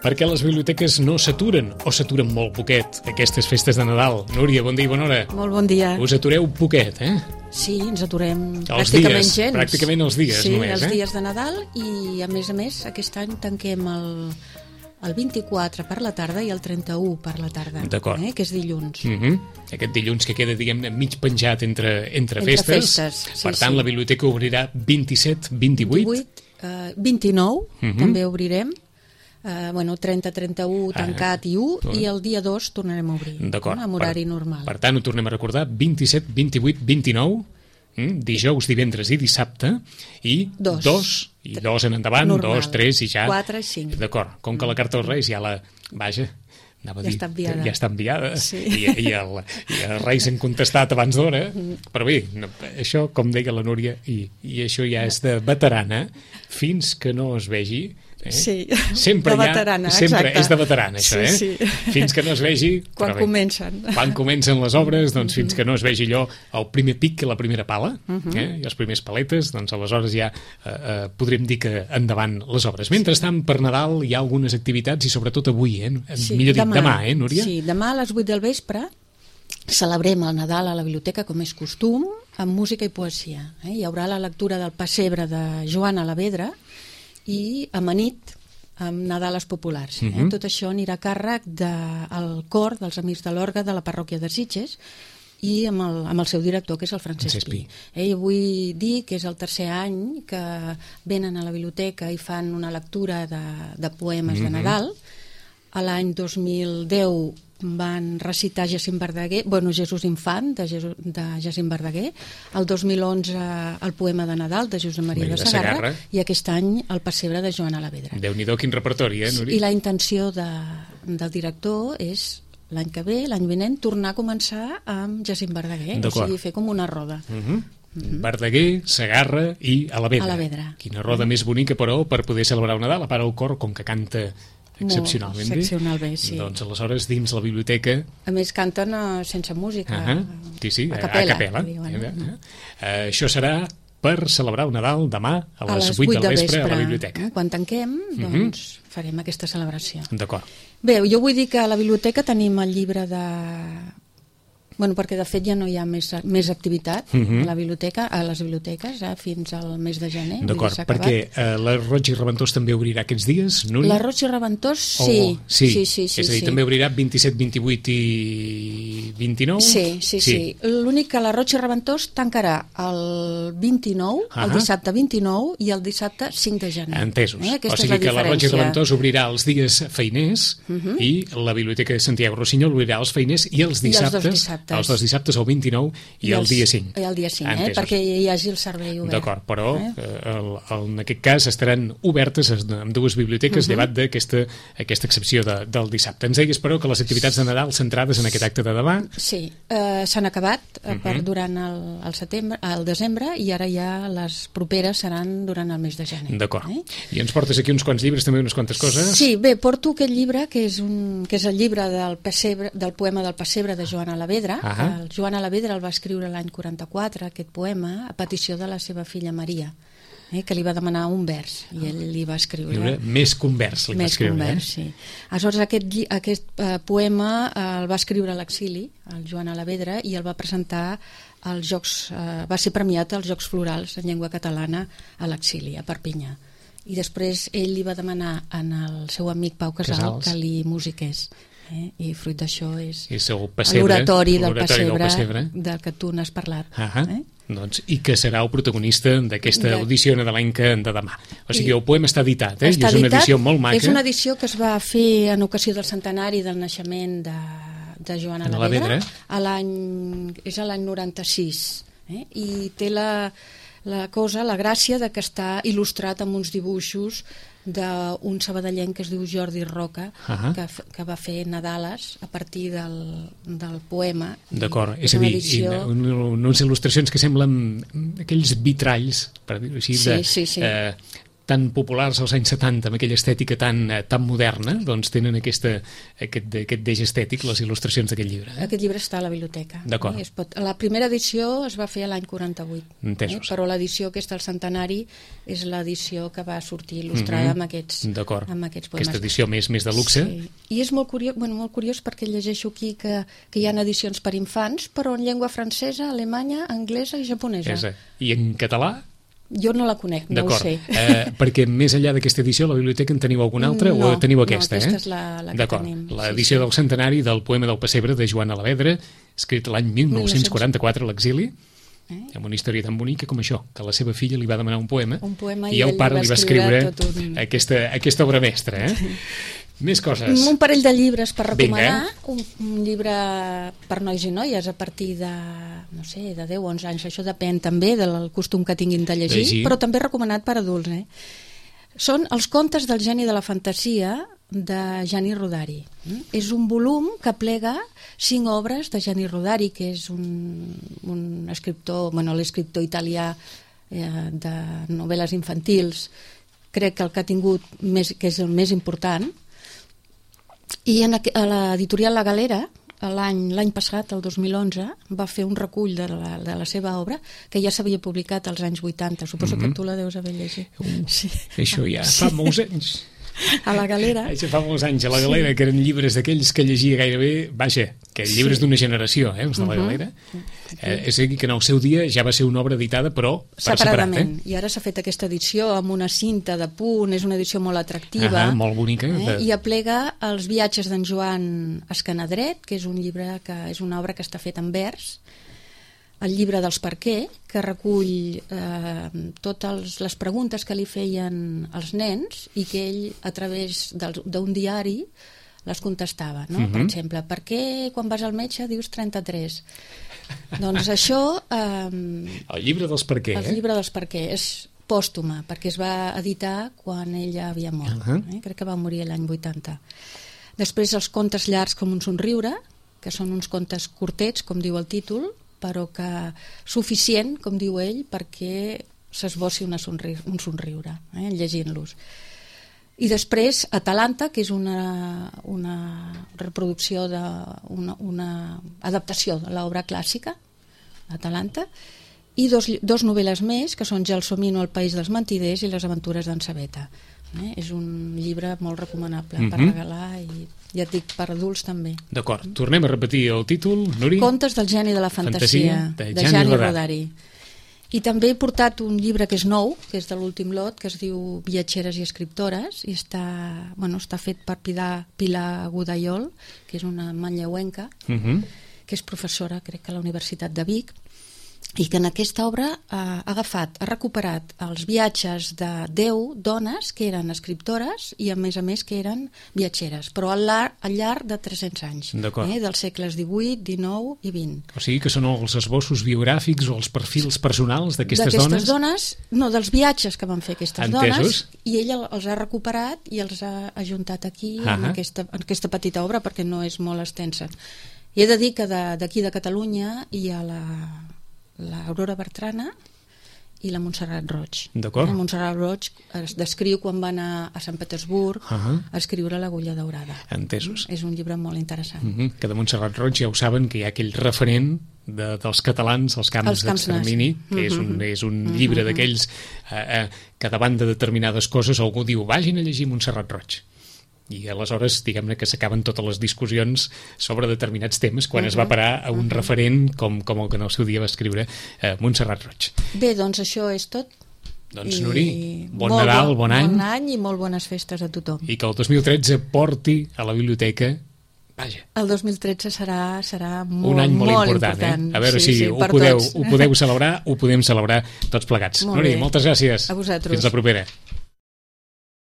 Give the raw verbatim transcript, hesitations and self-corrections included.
perquè les biblioteques no s'aturen, o s'aturen molt poquet, aquestes festes de Nadal. Núria, bon dia i bona hora. Molt bon dia. Us atureu poquet, eh? Sí, ens aturem els pràcticament dies, gens. Pràcticament els dies, sí, només, els eh? Sí, els dies de Nadal, i a més a més aquest any tanquem el, el vint-i-quatre per la tarda i el trenta-u per la tarda, eh? Que és dilluns. Uh -huh. Aquest dilluns que queda, diguem-ne, mig penjat entre, entre, entre festes. festes sí, per tant, sí. la biblioteca obrirà vint-i-set, vint-i-vuit... vint-i-vuit, uh, vint-i-nou, uh -huh. també obrirem. Uh, bueno, trenta, trenta-u tancat ah, i u, i el dia dos tornarem a obrir, d'acord, amb horari per, normal. Per tant, ho tornem a recordar, vint-i-set, vint-i-vuit, vint-i-nou, mm, dijous, divendres i dissabte, i dos, dos i dos en endavant, normal. dos, tres i ja... quatre i cinc. D'acord, com que la carta dels Reis ja la... Vaja, anava a ja dir, està enviada. Ja està enviada, sí. I, i, el, i els Reis han contestat abans d'hora, però bé, no, això, com deia la Núria, i, i això ja és de veterana, fins que no es vegi... Eh? Sí, sempre de veterana, ha, sempre exacte. És de veterana, això, sí, eh? Sí. Fins que no es vegi... Quan bé, comencen. Quan comencen les obres, doncs fins que no es vegi allò, el primer pic i la primera pala, uh -huh. eh? I els primers paletes, doncs aleshores ja eh, eh, podríem dir que endavant les obres. Mentrestant, per Nadal hi ha algunes activitats, i sobretot avui, eh? Sí, millor dit, demà, demà, eh, sí, Núria? Sí, demà a les vuit del vespre celebrem el Nadal a la biblioteca, com és costum, amb música i poesia. Eh? Hi haurà la lectura del Pessebre de Joan Alavedra i amanit amb Nadales populars. Eh? Uh -huh. Tot això anirà a càrrec del cor dels Amics de l'Orgue de la parròquia de Sitges i amb el, amb el seu director, que és el Francesc Pi. Eh? I vull dir que és el tercer any que venen a la biblioteca i fan una lectura de, de poemes uh -huh. de Nadal. A l'any dos mil deu van recitar Jacint Verdaguer, bueno, Jesús Infant, de, Jesús, de Jacint Verdaguer, el dos mil onze el poema de Nadal de Josep Maria de Sagarra, de Sagarra, i aquest any el Pessebre de Joan Alavedra. Déu-n'hi-do, quin repertori, eh, Núria? I la intenció de, del director és l'any que ve, l'any vinent, tornar a començar amb Jacint Verdaguer, o sigui, fer com una roda. Uh -huh. Mm-hmm. Verdaguer, Sagarra i Alavedra. Alavedra. Quina roda mm-hmm. més bonica, però, per poder celebrar el Nadal, a part el cor, com que canta excepcionalment bé, excepcional bé, sí. Doncs aleshores dins la biblioteca... A més canten uh, sense música. Uh -huh. Sí, sí, a capella. A capella. Diuen, uh -huh. uh, això serà per celebrar el Nadal demà a les, a les vuit del del vespre, vespre a la biblioteca. Quan tanquem, doncs uh -huh. farem aquesta celebració. D'acord. Bé, jo vull dir que a la biblioteca tenim el llibre de... Bueno, perquè de fet ja no hi ha més, més activitat uh -huh. a la biblioteca, a les biblioteques, eh, fins al mes de gener. D'acord, perquè eh, la Roig i Reventós també obrirà aquests dies, Núria? La Roig i Reventós, sí. Oh, sí. Sí, sí, sí. És a dir, sí. també obrirà vint-i-set, vint-i-vuit i vint-i-nou? Sí, sí, sí. sí. L'únic que la Roig i Reventós tancarà el vint-i-nou, uh -huh. el dissabte vint-i-nou i el dissabte cinc de gener. Entesos. Eh? O sigui la que la Roig i diferència. Reventós obrirà els dies feiners uh -huh. i la Biblioteca de Santiago Rossinyol obrirà els feiners i els dissabtes, I els dos dissabtes. els dos dissabtes el vint-i-nou i, I el dia cinc. I el dia cinc, eh? Perquè hi hagi el servei obert. D'acord, però eh? el, el, en aquest cas estaran obertes amb dues biblioteques uh -huh. llevat d'aquesta aquesta excepció de, del dissabte. Ens deies, però, que les activitats de Nadal centrades en aquest acte de demà... Sí, eh, s'han acabat uh -huh. per, durant el, el, setembre, el desembre, i ara ja les properes seran durant el mes de gener. D'acord. Eh? I ens portes aquí uns quants llibres, també unes quantes coses? Sí, bé, porto aquest llibre, que és, un, que és el llibre del, pessebre, del poema del Pessebre de Joan Alavedra. Uh -huh. El Joan Alavedra el va escriure l'any quaranta-quatre, aquest poema, a petició de la seva filla Maria, eh, que li va demanar un vers, i ell li va escriure... Lliure, més que un vers, li més va escriure. Més que un vers, eh? sí. Aleshores, aquest, aquest uh, poema uh, el va escriure a l'exili, el Joan Alavedra, i el va presentar als Jocs... Uh, va ser premiat als Jocs Florals en llengua catalana a l'exili, a Perpinyà. I després ell li va demanar al seu amic Pau Casal, Casals. que li musiqués. Eh? I fruit d'això és l'oratori del, del pessebre del que tu n'has parlat. Uh -huh. eh? Doncs, i que serà el protagonista d'aquesta de... audició nadalenca de demà. O sigui, el poema està editat, eh? Està I és una edició molt maca. És una edició que es va fer en ocasió del centenari del naixement de, de Joan Alavedra. A l'any és a l'any noranta-sis. Eh? I té la, la cosa, la gràcia de que està il·lustrat amb uns dibuixos d'un sabadellenc que es diu Jordi Roca, uh -huh. que, que va fer Nadales a partir del, del poema. D'acord, és a dir, edició... unes il·lustracions que semblen aquells vitralls, per dir-ho així, sí, de, sí, sí. Eh, tan populars als anys setanta, amb aquella estètica tan, tan moderna, doncs tenen aquesta, aquest, aquest deix estètic, les il·lustracions d'aquest llibre. Eh? Aquest llibre està a la biblioteca. D'acord. Eh? Es pot... La primera edició es va fer l'any quaranta-vuit. Entesos. Eh? Però l'edició aquesta al centenari és l'edició que va sortir il·lustrada mm-hmm. amb, aquests, D'acord. amb aquests poemes. Aquesta edició més, més de luxe. Sí. I és molt curiós, bueno, molt curiós perquè llegeixo aquí que, que hi ha edicions per infants, però en llengua francesa, alemanya, anglesa i japonesa. Esa. I en català? Jo no la conec, no ho sé. Eh, perquè més enllà d'aquesta edició, a la biblioteca en teniu alguna altra no, o teniu aquesta? No, aquesta eh? és la, la que tenim. L'edició sí, sí. del centenari del poema del Pessebre de Joan Alavedra, escrit l'any mil nou-cents quaranta-quatre a l'exili, eh? amb una història tan bonica com això, que la seva filla li va demanar un poema, un poema i el pare li va escriure, escriure un... aquesta, aquesta obra mestra. Eh? Més coses. Un parell de llibres per recomanar. Vinga. Un, un llibre per nois i noies a partir de, no sé, de deu o onze anys. Això depèn també del costum que tinguin de llegir, llegir. Però també recomanat per adults. Eh? Són els contes del geni de la fantasia de Gianni Rodari. Mm? És un volum que plega cinc obres de Gianni Rodari, que és un, un escriptor, bueno, l'escriptor italià eh, de novel·les infantils, crec que el que ha tingut més, que és el més important. I en, a l'editorial La Galera, l'any l'any passat, el dos mil onze, va fer un recull de la, de la seva obra que ja s'havia publicat als anys vuitanta. Suposo mm-hmm. que tu la deus haver llegit. Uh, sí. Això ja fa molts anys. A La Galera. Això fa molts anys, a La Galera, sí. que eren llibres d'aquells que llegia gairebé, vaja, que llibres sí. d'una generació, eh, els de La Galera. Uh-huh. Eh, és a dir, que en el seu dia ja va ser una obra editada, però per separadament. Separat, eh? I ara s'ha fet aquesta edició amb una cinta de punt, és una edició molt atractiva. Ah, molt bonica. Eh? De... I aplega els viatges d'en Joan Escanadret, que és un llibre que és una obra que està feta en vers, el llibre dels per què, que recull eh, totes les preguntes que li feien els nens i que ell, a través d'un diari, les contestava. No? Uh-huh. Per exemple, per què quan vas al metge dius trenta-tres? Doncs això... Eh, el llibre dels per què, el eh? llibre dels per què. És pòstuma, perquè es va editar quan ella havia mort. Uh-huh. eh? Crec que va morir l'any vuitanta. Després els contes llargs com un somriure, que són uns contes curtets, com diu el títol, però que suficient, com diu ell, perquè s'esbossi una somri un somriure, eh, llegint-los. I després Atalanta, que és una, una reproducció de una, una adaptació de l'obra clàssica, Atalanta, i dos, dos novel·les més, que són Gelsomino, el país dels mentiders, i les aventures d'en Sabeta. Eh? És un llibre molt recomanable mm-hmm. per regalar i ja et dic, per adults també. D'acord, tornem a repetir el títol, Nuri. Contes del geni de la fantasia, fantasia de, de Gianni Rodari. Rodari. I també he portat un llibre que és nou, que és de l'últim lot, que es diu Viatgeres i escriptores, i està, bueno, està fet per Pilar, Pilar Godallol, que és una manlleuenca, mm-hmm. que és professora, crec que a la Universitat de Vic, i que en aquesta obra ha agafat, ha recuperat els viatges de deu dones que eren escriptores i a més a més que eren viatgeres, però al llarg, al llarg de tres-cents anys, eh, dels segles divuit, dinou i vint. O sigui que són els esbossos biogràfics o els perfils personals d'aquestes dones? D'aquestes dones, no, dels viatges que van fer aquestes Entesos. dones, i ella els ha recuperat i els ha ajuntat aquí uh-huh. en, aquesta, en aquesta petita obra perquè no és molt extensa. I he de dir que d'aquí de, de Catalunya hi ha la l'Aurora Bertrana i la Montserrat Roig. D'acord. La Montserrat Roig es descriu quan va anar a Sant Petersburg uh-huh. a escriure l'Agulla Daurada. Entesos. És un llibre molt interessant. Uh-huh. Que de Montserrat Roig ja ho saben, que hi ha aquell referent de, dels catalans als camps d'extermini, que uh-huh. és un, és un uh-huh. llibre d'aquells eh, eh, que davant de determinades coses algú diu vagin a llegir Montserrat Roig. I aleshores, diguem-ne que s'acaben totes les discussions sobre determinats temes quan uh-huh. es va parar a un uh-huh. referent com, com el que en el seu dia va escriure eh, Montserrat Roig. Bé, doncs això és tot. Doncs, Nuri, bon Nadal, bon, bon any. Bon any i molt bones festes a tothom. I que el dos mil tretze porti a la biblioteca, vaja. El dos mil tretze serà, serà molt, un any molt, molt important. important. Eh? A veure sí, si sí, ho, podeu, tots. ho podeu celebrar, ho podem celebrar tots plegats. Molt Nuri, bé. moltes gràcies. A vosaltres. Fins la propera.